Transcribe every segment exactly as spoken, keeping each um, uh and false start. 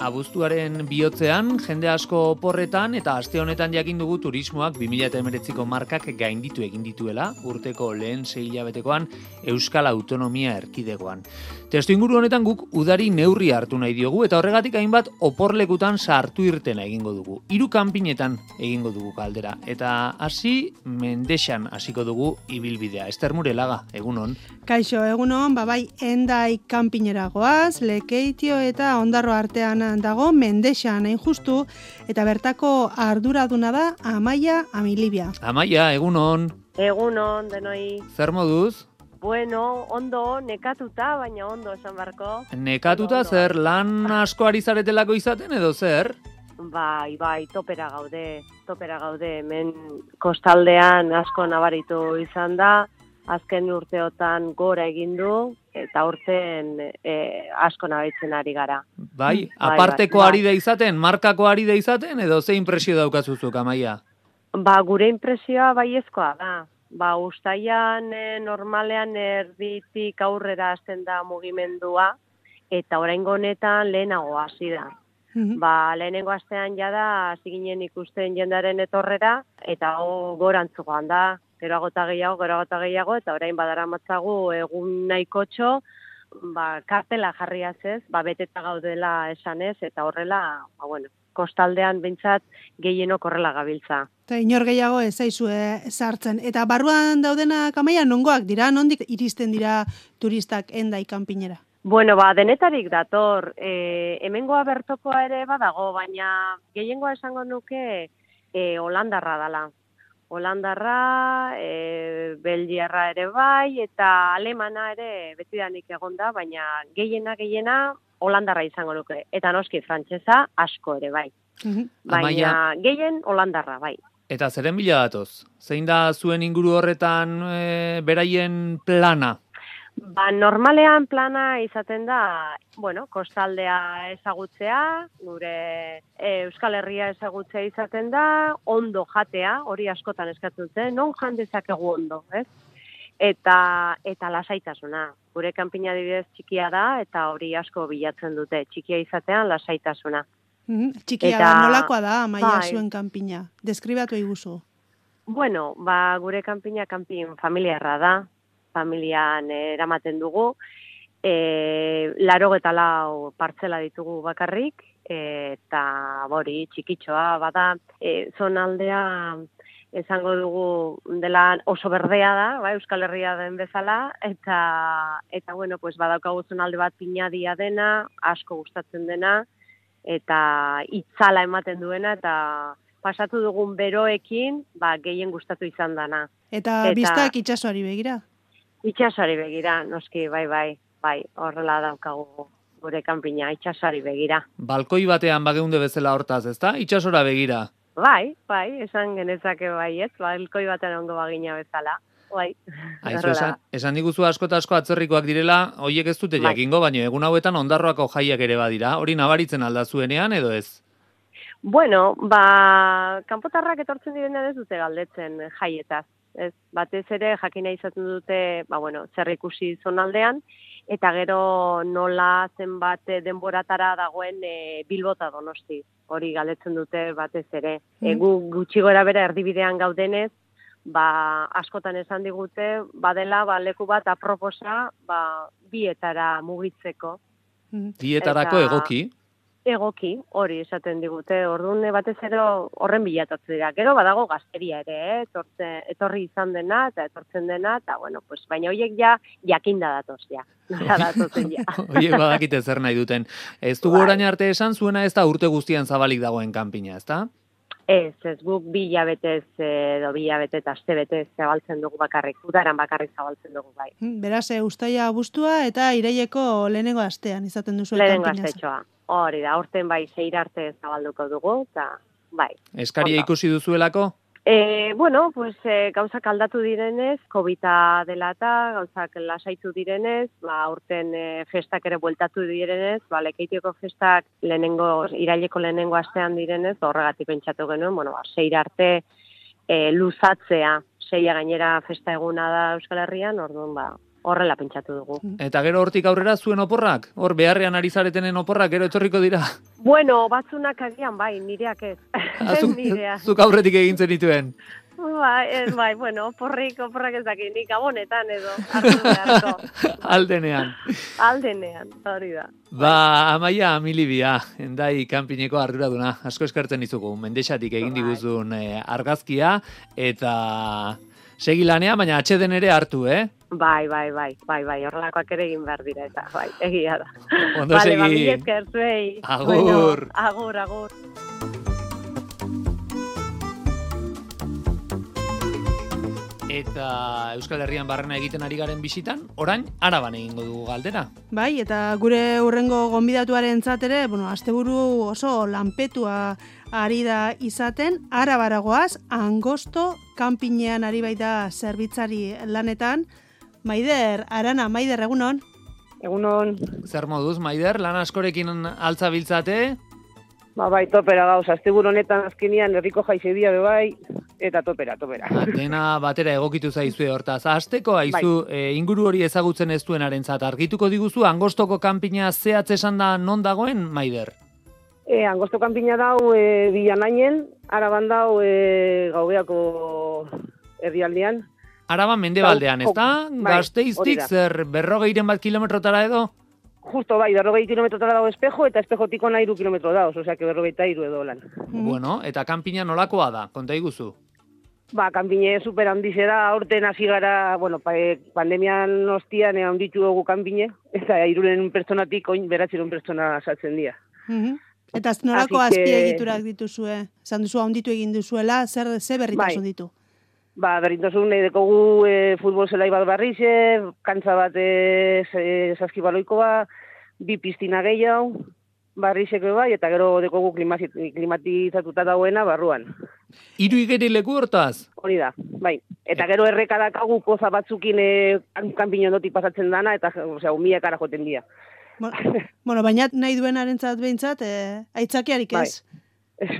Abuztuaren bihotzean, jende asko oporretan eta aste honetan jakin dugu turismoak bi mila hemeretziko markak gainditu egin dituela, urteko lehen sei hilabetekoan Euskal Autonomia Erkidegoan. Testuinguru honetan guk udari neurri hartu nahi diogu eta horregatik hainbat oporlekutan sartu irtena egingo dugu. Hiru kanpinetan egingo dugu kaldera eta hasi Mendexan hasiko dugu ibilbidea. Ester Murelaga, egunon. Kaixo, egunon, babai, Endai kanpinera goaz, Lekeitio eta Ondarro artean dago Mendexan hain justu, eta bertako arduraduna da Amaia Amilibia. Amaia, egunon. Egunon, denoi. Zer moduz? Bueno, ondo, nekatuta, baina ondo esan barko. Nekatuta ondo, zer, ondo. lan asko ari zaretelako izaten edo zer? Bai, bai, topera gaude, topera gaude. Hemen kostaldean asko nabaritu izan da, azken urteotan gora egin du, eta urten e, asko nabaritzen ari gara. Bai, aparteko bai, bai. ari da izaten, markako ari da izaten, edo ze impresio daukazuzuk, Amaia? Ba, gure impresioa baiezkoa da. Ba, ustaian e, normalean erditik aurrera hasten da mugimendua, eta oraingo honetan lehenago hasi da. Mhm. Ba, lehenengo astean jada hasi ginen ikusten jendaren etorrera, eta ho gorantzukoan da, geroago eta gehiago, geroago eta gehiago, eta orain badaramatzagu egun nahikotxo, ba, kartela jarriaz ez, ba, beteta gaudela esanez, eta horrela, ba, bueno, kostaldean behintzat gehienok horrela gabiltza. Eta inor gehiago ez zaizue sartzen. Eta barruan daudenak Amaia nongoak dira, nondik iristen dira turistak Endai kanpinera? Bueno, ba, denetarik dator, e, hemengoa bertokoa ere badago, baina gehiengoa esango nuke e, Holandarra dala. Holandarra, e, Belgiarra ere bai, eta Alemana ere betidanik egonda, baina gehiena gehiena Holandarra izango nuke. Eta noski frantsesa asko ere bai. Mhm. Baina Amaia. gehien Holandarra bai. Eta zeren bila datoz? Zein da zuen inguru horretan e, beraien plana? Ba, normalean plana izaten da, bueno, kostaldea ezagutzea, gure e, Euskal Herria ezagutzea izaten da, ondo jatea, hori askotan eskatzen dute, non jan dezakegu ondo, ez? Eta, eta lasaitasuna. Gure kanpina adibidez txikia da, eta hori asko bilatzen dute, txikia izatean lasaitasuna. Mhm. Txikia Eta- da, nolakoa da Amaia bai. zuen kanpina? Deskribatu eiguzu. Bueno, ba, gure kanpina kanpin familiarra da, familian eramaten dugu, e, laro eta lau partzela ditugu bakarrik, eta hori txikitxoa bada, e, zonaldea esango dugu dela oso berdea da, ba, Euskal Herria den bezala, eta, eta bueno, pues badaukagu zonalde bat pinadia dena, asko gustatzen dena, eta itzala ematen duena, eta pasatu dugun beroekin, ba, gehien gustatu izan dana. Eta, Eta- biztak itsasoari begira. Itxasari begira, noski, bai, bai, bai, horrela daukagu gure kanpina, itxasari begira. Balkoi batean bageunde bezala hortaz, ezta? Itsasora begira. Bai, bai, esan genezake bai, ez, balkoi batean ongo bagina bezala, bai. Aizu, horrela esan, da. esan diguzu asko eta asko atzerrikoak direla, hoiek ez dute Bai. jakingo, baina egun hauetan Ondarroako jaiak ere badira, hori nabaritzen alda zuenean edo ez? Bueno, ba, kanpotarrak etortzen direnean ez dute galdetzen jaietaz. Ez, batez ere jakina izaten dute, ba, bueno, zer ikusi zonaldean, eta gero nola zenbat denboratara dagoen e, Bilbota Donosti. Hori galdetzen dute batez ere. E, gu gutxi gora bera erdibidean gaudenez, ba, askotan esan digute, badela, ba, leku bat aproposa, ba, bietara mugitzeko. Mhm. Dietarako Eta- egoki. Egoki, hori esaten digute, orduan batez ere horren bilatatzen dira. Gero badago gazteria ere, eh? Etortze, etorri izan dena, eta etortzen dena, eta bueno, pues, baina horiek ja jakinda datoz, ja. Nola datozen ja. Oiek badakite zer nahi duten. Ez dugu Bai. orain arte esan zuena ez da urte guztian zabalik dagoen kanpina, ezta? Ez, ez guk bi hilabetez edo bi hilabete eta aste betez zabaltzen dugu bakarrik, udaran bakarrik zabaltzen dugu bai. Mhm. Beraz, e, ustaia abuztua eta iraileko lehenengo astean izaten duzu Lehenengo kanpina. astetxoa. Hori da, aurten bai zeir arte zabalduko dugu, eta bai. Eskaria Ondo. ikusi duzuelako? E, bueno, pues, e, gauzak aldatu direnez, Covida dela eta gauzak lasaitu direnez, ba, aurten e, festak ere bueltatu direnez, ba, Lekeitioko festak lehenengo, iraileko lehenengo astean direnez, horregatik pentsatu genuen, bueno, ba, zeir arte e, luzatzea, zeia gainera festa eguna da Euskal Herrian, orduan, ba, horrela pentsatu dugu. Eta gero hortik aurrera zuen oporrak? Hor beharrean ari zaretenen oporrak gero etorriko dira? Bueno, batzunak agian bai, nireak ez. Zuk, Nireak. zuk aurretik egin zenituen. Bai, ez, bai, bueno, porrik, oporrak ez dakit, nik gabonetan edo, hartu beharko. Aldenean. Aldenean, hori da. Ba, Amaia Amilibia, endai kanpineko arduraduna. Asko eskertzen dizugu, Mendexatik egin diguzun eh, argazkia, eta segi lanean, baina atxeden ere hartu, eh? Bai, bai, bai, bai, bai, horrelakoak ere egin behar dira, eta bai, egia da. Ondo Vale, segi. ba, mila esker zuei. Agur. Bueno, agur, agur. Eta Euskal Herrian barrena egiten ari garen bisitan, orain Araban egingo dugu galdera. Bai, eta gure hurrengo gonbidatuaren ere, bueno, asteburu oso lanpetua ari da izaten, Arabaragoaz, Angosto kanpinean ari baita zerbitzari lanetan. Maider, Arana, Maider, egunon? Egunon, Zer moduz, Maider, lan askorekin altza biltzate? ba bai, topera gauz, asteburu honetan azkenian herriko jaizedia be bai, eta topera, topera. Ba, dena batera egokitu zaizue hortaz. Azteko haizu, e, inguru hori ezagutzen ez duenarentzat argituko diguzu, Angostoko kanpina zehatz esan da non dagoen, Maider? E, Angosto kanpina dau e, Bilanainen, Araban dau e, Gaubeako herrialdean. Araban mendebaldean, ez da? Bai, hori Gasteiztik da. zer berrogeiren bat kilometrotara edo? Justo bai, berrogei kilometrotara dago espejo, eta espejotik ona iru kilometro dauz, osea, que berrogeita iru edo lan. Bueno, eta kanpina nolakoa da, konta iguzu. Ba, kanpine super handize da, aurten hasi gara, bueno, pa, e, pandemian ostian e, handitu dugu kanpine, eta iruren pertsonatik oin beratziron pertsona saltzen dira. Mhm. Eta nolako Así que- azpiegiturak dituzue? Esan duzu handitu egin duzuela, zer ze berritasun Bai. ditu? Ba, berdintasun nahi dekogu e, futbol zelai bat barrixe, kantza bat e, e, saskibaloiko ba, bi piztina gehiago, barrixeko bai, eta gero dekogu klimazi- klimatizatuta dagoena barruan. Hiru igerileku hortaz? Hori da, bai. Eta gero erreka dakagu poza batzukin e, kanpino ondotik pasatzen dana, eta osea, umiak ara joten dira. Bueno, bueno, baina nahi duenarentzat behintzat, eh, aitzakiarik ez?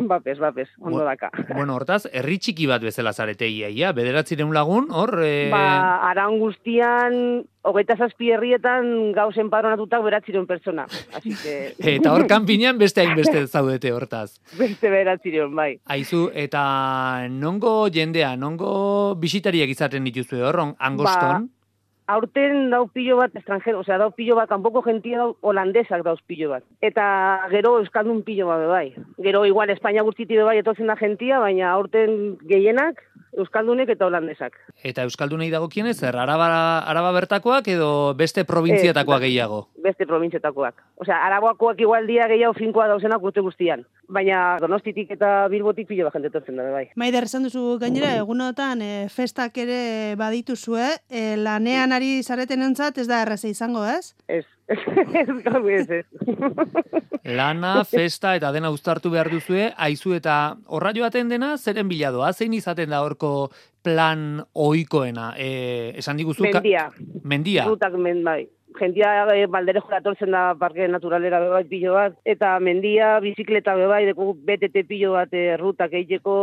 Bapes, bapes, ondo Bu- daka. Bueno, hortaz, herri txiki bat bezala zarete iaia, bederatzireun lagun, hor... E... Ba, aran guztian, hogeita zazpi herrietan gauzen padronatutak beratzireun pertsona. Así que... Eta hor kanpinean beste hainbeste zaudete hortaz. Beste beratzireun, bai. Aizu, eta nongo jendea, nongo bisitariak izaten dituzue hor, on- Angoston? Aurten dau pilo bat estrangero, osea, dau pilo bat, kanpoko gentia dau holandesak dauz pilo bat. Eta gero euskaldun pilo bat be bai. Gero igual Espainia guztiti be bai etortzen da gentia, baina aurten gehienak euskaldunek eta holandesak. Eta euskaldunei dagokienez, zer, araba, araba bertakoak edo beste probintziatakoak Ez, gehiago? Beste probintzietakoak. Osea, araboakoak igual dia gehiago finkoa dauzenak urte guztian. Baina Donostitik eta Bilbotik pilo bat jende etortzen da be bai. Maider, esan duzu gainera, egunotan e, festak ere badituzue, e, lanean ari zaretenentzat ez da erraza izango, ez? Ez, ez gau ez, ez. Lana, festa eta dena uztartu behar duzue, aizu eta horra joaten dena, zeren biladoa, zein izaten da horko plan ohikoena? E, esan diguzu... ka- Mendia. Mendia. Rutak men bai. Gentia e, balderejo datortzen da parke naturalera be bai pilo bat, eta mendia, bizikleta be bai, deku B T T pilo bat e, rutak egiteko.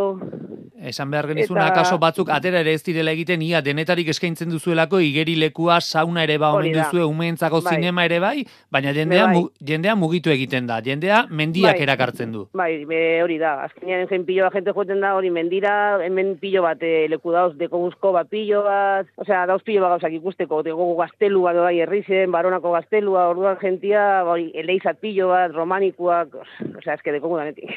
Esan behar genizuna, Eta- kaso batzuk atera ere ez direla egiten, ia denetarik eskaintzen duzuelako, igerilekua, sauna ere ba omen Hori da. duzue, umeentzako Bai. zinema ere bai, baina jendea, Bai. mu, jendea mugitu egiten da, jendea mendiak Bai. erakartzen du. Bai, be, hori da. Azkenean jen pilo bat jente joeten da, hori mendira, hemen pilo bat e, leku dauz, deko guzko bat pilo bat, osea, dauz pilo bat gauzak ikusteko, deko gaztelu bat bai herrizen, baronako gaztelua, orduan gentia, hori, eleizat pilo bat, romanikuak, osea, eske deko gudanetik.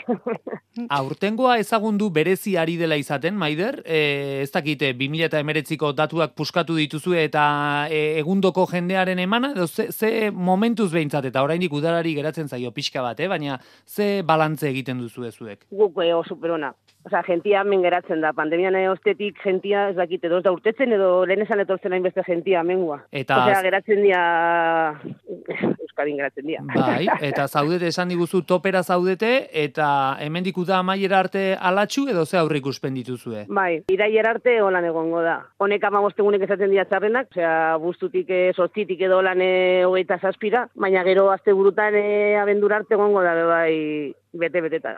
Aurtengoa ezagundu berezi ari dela izaten, Maider, e, ez dakite, bi mila hemeretziko datuak puskatu dituzue eta e, egundoko jendearen emana, edo ze, ze momentuz behintzat, eta oraindik udarari geratzen zaio pixka bat, eh? Baina ze balantze egiten duzu zuek? Guk eo superona. Osea, gentia hemen geratzen da. Pandemian ostetik gentia ez dakite doz da urtetzen edo lehen esan etortzen hainbeste gentia hemengua. Eta- Osea, geratzen dia Euskadin geratzen dia. Bai, eta zaudete esan diguzu topera zaudete, eta hemendik uda amaiera arte alatxu edo ze aurre ikuspen dituzue? Bai, irailer arte holan egongo da. Honek amabostegunek esaten dira txarrenak, osea, buztutik, e, sortzitik edo holan e, hogeita zazpira, baina gero azte burutan e, abendura arte egongo da, be bai, bete-beteta.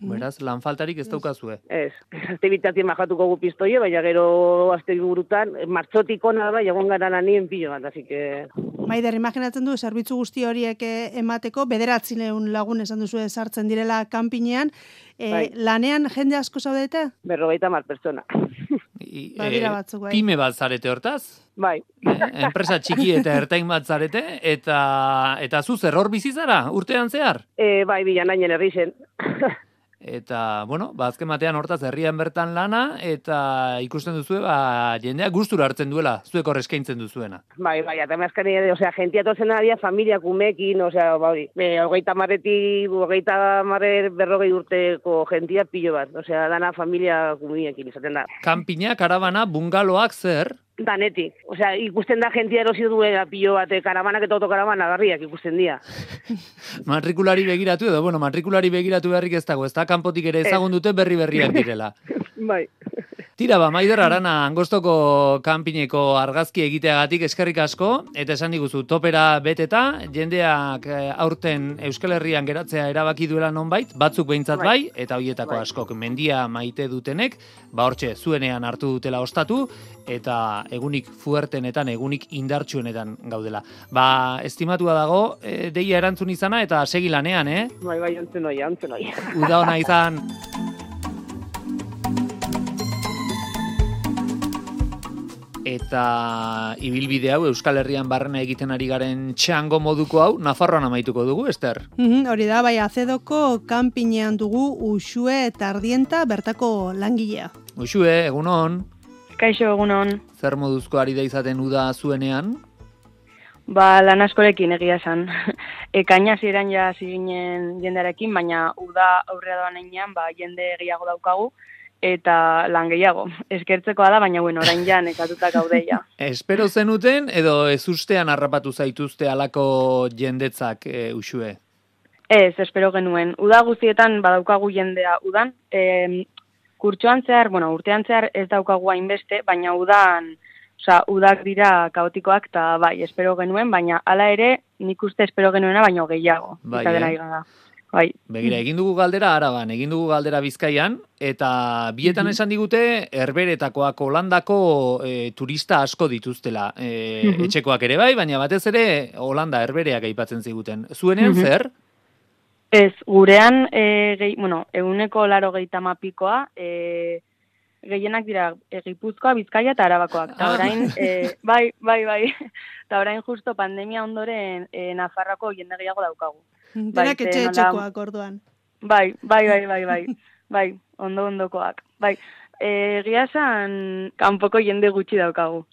Beraz, lan faltarik ez daukazue. Ez, azte bitatien majatuko gu pistoie, baina gero azte burutan, martxotik ona da, jagon gara lanien pilo bat, así que... Maider, imaginatzen du, zerbitzu guzti horiek emateko, bederatzileun lagun esan duzu sartzen direla kanpinean, e, bai. Lanean jende asko zaudete? Berrogeita mar pertsona. I, Badira batzuk, bai. Pyme bat zarete hortaz? Bai. Eh, enpresa txiki eta ertain bat zarete, eta eta zu zer hor bizi zara, urtean zehar? E, bai, bilanainen herri zen. Eta, bueno, ba, azken batean hortaz herrian bertan lana, eta ikusten duzue, ba, jendeak gustura hartzen duela, zuek hor eskaintzen duzuena. Bai, bai, eta mezkani, osea, jentia tozen adia, familia kumekin, osea, bai, e, hogeita marretik, hogeita marrer berrogei urteko jentia pilo bat, osea, dana familia kumiekin izaten da. Kanpina, karabana, bungaloak zer? Danetik, osea, ikusten da jentia erosi duela pilo bat, karabanak eta autokarabana garriak ikusten dira. Matrikulari begiratu edo, bueno, matrikulari begiratu beharrik ez dago, ez da, kanpotik ere ezagun dute berri berriak direla. Bai. Tira, ba, Maider Arana, Angostoko kanpineko argazki egiteagatik eskerrik asko, eta esan diguzu, topera beteta, jendeak aurten Euskal Herrian geratzea erabaki duela nonbait, batzuk behintzat bai, eta hoietako bai. askok mendia maite dutenek, ba hortxe, zuenean hartu dutela ostatu, eta egunik fuertenetan, egunik indartsuenetan gaudela. Ba, estimatua dago, e, deia erantzun izana, eta segi lanean, eh? Bai, bai, ontzen oia, ontzen oia. Uda ona izan. Eta ibilbide hau Euskal Herrian barrena egiten ari garen txango moduko hau Nafarroan amaituko dugu, Ester? Mm, hori da, bai, Azedoko kanpinean dugu Uxue Tardienta bertako langilea. Uxue, egunon? Kaixo, egunon. Zer moduzko ari da izaten uda zuenean? Ba, lan askorekin egia esan. Ekaina ziren ja ziginen jendearekin, baina uda aurrera doan einean, ba, jende gehiago daukagu, eta lan gehiago. Eskertzekoa da, baina bueno, orain ja nekatuta gaudeia. Espero zenuten edo ezustean harrapatu zaituzte alako jendetzak, e, Uxue? Ez, espero genuen. Uda guztietan badaukagu jendea udan. E, kurtsoan zehar, bueno, urtean zehar ez daukagu hainbeste, baina udan, osea, udak dira kaotikoak, eta bai, espero genuen, baina hala ere, nik uste espero genuena, baino gehiago. Bai, izaten eh? ari gara. Bai. Begira, egin dugu galdera Araban, egin dugu galdera Bizkaian, eta bietan Mhm. esan digute, Herberetakoak, Holandako e, turista asko dituztela. E, Mhm. Etxekoak ere bai, baina batez ere Holanda, Herbereak aipatzen ziguten. Zuenean Mhm. zer? Ez, gurean, e, gehi, bueno, eguneko laro gehietama pikoa, e, gehienak dira e, Gipuzkoa, Bizkaia eta Arabakoak. Eta Ah. orain, e, bai, bai, bai, eta orain justo pandemia ondoren e, Nafarroako jende gehiago daukagu. Denak ze etxe nola- etxekoak orduan. Bai, bai, bai, bai, bai, bai, ondo ondokoak. Bai, e, egia esan kanpoko jende gutxi daukagu.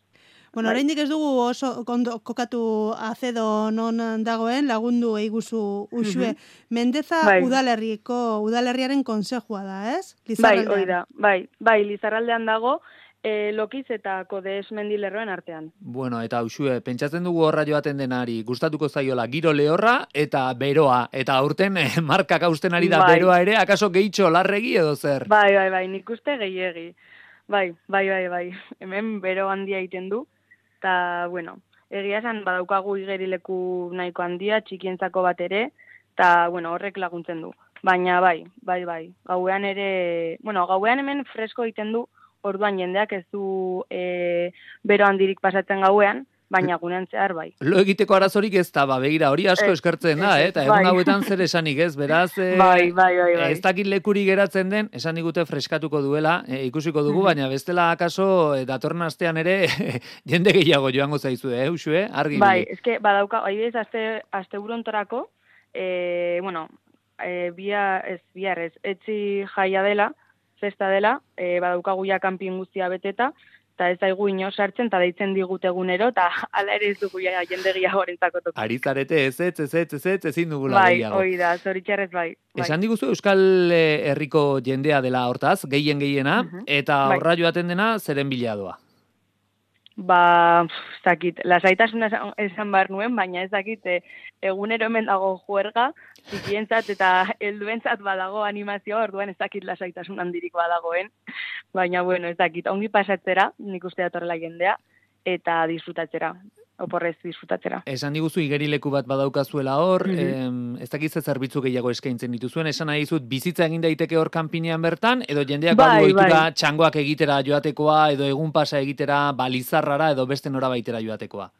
Bueno, Bai. oraindik ez dugu oso kondo, kokatu Azedo non dagoen, lagundu eiguzu Uxue. Mhm. Mendeza Bai. udalerriko, udalerriaren konsejua da, ez? Bai, Lizarraldean. hori da, bai, bai, Lizarraldean dago, e, Lokiz eta Kodes mendilerroen artean. Bueno, eta Uxue, pentsatzen dugu horra joaten denari, gustatuko zaiola giro lehorra eta beroa, eta aurten eh, markak hausten ari da Bai. beroa ere, akaso gehitxo larregi edo zer? Bai, bai, bai, nik uste gehiegi. Bai, bai, bai, bai. Hemen bero handia egiten du. Eta, bueno, egia esan badaukagu igerileku nahiko handia, txikientzako bat ere, eta, bueno, horrek laguntzen du. Baina, bai, bai, bai. Gauean ere, bueno, gauean hemen fresko egiten du, orduan jendeak ez du e, bero handirik pasatzen gauean, baina gunean zehar bai. Lo egiteko arazorik ez da, ba, begira, hori asko Ez, eskertzen da, ez, eh? Eta egun bai. hauetan zer esanik ez, beraz, eh, Bai, bai, bai, bai. ez dakit lekuri geratzen den, esan digute freskatuko duela, eh, ikusiko dugu, Mhm. baina bestela akaso eh, datorren astean ere jende gehiago joango zaizu, eh, Uxue, argi. Bai, ibili. eske badauka, adibidez, aste asteburontorako, eh, bueno, eh, bia ez bihar ez, etzi jaia dela, festa dela, eh, badaukagu ja kanpin guztia beteta, eta ez daigu ino sartzen, eta deitzen digut egunero, eta hala ere ez dugu ja jende gehiagorentzako toki. Ari zarete ez ez, ez ez, ez ez, ezin dugula Bai, gehiago. hori da, zoritxarrez bai. bai. Esan diguzu Euskal eh, Herriko jendea dela hortaz, gehien gehiena, Mhm. eta Bai. horra joaten dena zeren biladoa. Ba, pf, ez dakit, lasaitasuna esan, esan behar nuen, baina ez dakit, e, egunero hemen dago juerga, txikientzat eta helduentzat badago animazioa, orduan ez dakit lasaitasun handirik badagoen, baina bueno, ez dakit, ongi pasatzera, nik uste datorrela jendea, eta disfrutatzera. oporrez disfrutatzera. Esan diguzu igerileku bat badaukazuela hor, Mhm. em, ez dakit ze zerbitzu gehiago eskaintzen dituzuen, esan nahi dizut bizitza egin daiteke hor kanpinean bertan, edo jendeak Bai, badu ohitura bai. txangoak egitera joatekoa, edo egun pasa egitera balizarrara, edo beste norabaitera joatekoa.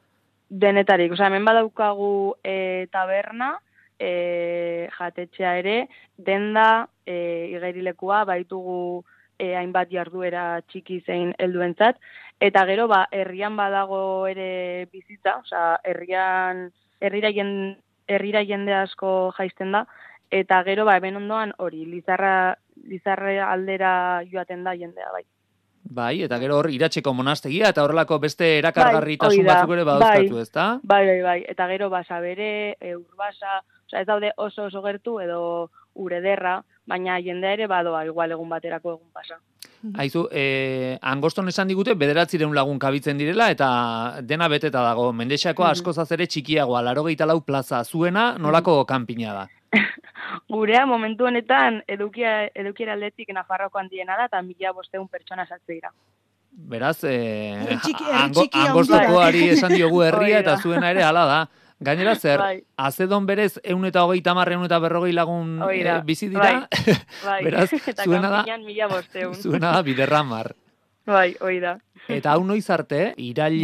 Denetarik, osea, hemen badaukagu e, taberna, e, jatetxea ere, denda, e, igerilekua, baitugu e, hainbat jarduera txiki zein helduentzat, eta gero, ba, herrian badago ere bizitza, osea, herrian, herrira, jen, herrira jende asko jaisten da, eta gero, ba, hemen ondoan hori, Lizarra, Lizarra aldera joaten da jendea, bai. Bai, eta gero hor iratzeko monastegia, eta horrelako beste erakargarritasun Bai, hori da. batzuk ere badauzkatu, Bai. ezta? Bai, bai, bai, eta gero basabere, e, urbasa, osea, ez daude oso oso gertu edo urederra, baina jendea ere badoa, igual egun baterako egun pasa. Aizu, eh, angoston esan digute bederatzireun lagun kabitzen direla, eta dena beteta dago. Mendexakoa Mhm. askozaz ere txikiagoa, laurogeita lau plaza. Zuena nolako kanpina da? Gurea momentu honetan edukia, edukiera aldetik Nafarroko handiena da, eta mila bosteun pertsona sartze dira. Beraz, eh, Herri txiki- herri ango, txiki handia. angostokoari esan diogu herria, Hori da. eta zuena ere hala da. Gainera zer, Bai. azedon berez eun eta hogeita hamar, eun eta berrogei lagun Hori da. eh, bizi dira, Bai, beraz, eta zuena da, kanpinan mila bosteun. zuena da biderramar. Bai, hori da. Eta hau noiz arte, irailetik,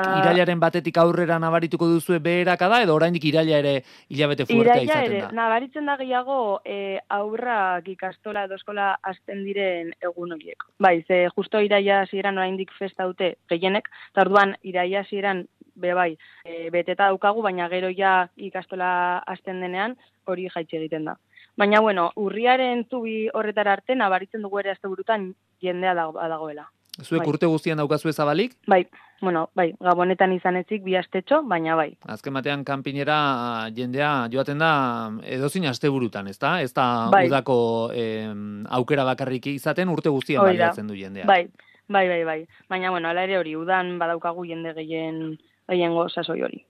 Ba- irailaren batetik aurrera nabarituko duzue beherakada, edo oraindik iraila ere hilabete fuertea Iraila izaten ere, da? nabaritzen da gehiago e, aurrak ikastola edo eskola hasten diren egun horiek. Bai, ze justo iraila hasieran oraindik festa dute gehienek, eta orduan iraila hasieran be bai, e, beteta daukagu, baina gero ja ikastola hasten denean hori jaitsi egiten da. Baina bueno, urriaren zubi horretara arte nabaritzen dugu ere asteburutan jendea dago, dagoela. Zuek bai. urte guztian daukazue zabalik? Bai, bueno, bai, gabonetan izan ezik bi astetxo, baina bai. Azken batean kanpinera jendea joaten da edozein asteburutan, ezta? Ez da Bai. udako em, aukera bakarrik izaten urte guztian Hori da. baliatzen du jendea. Bai, bai, bai, bai. Baina, bueno, ala ere hori, udan badaukagu jende gehien gehiengo sasoi hori.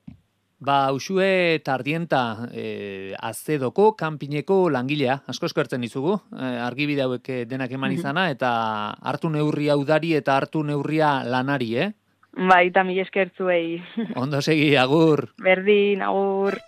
Ba, Uxue Tardienta eh, azedoko kanpineko langilea, asko eskertzen dizugu, eh, argibide hauek eh, denak eman izana, eta hartu neurria udari eta hartu neurria lanari, eh? Bai, eta mila eskertzuei. Ondo segi, agur! Berdin, agur.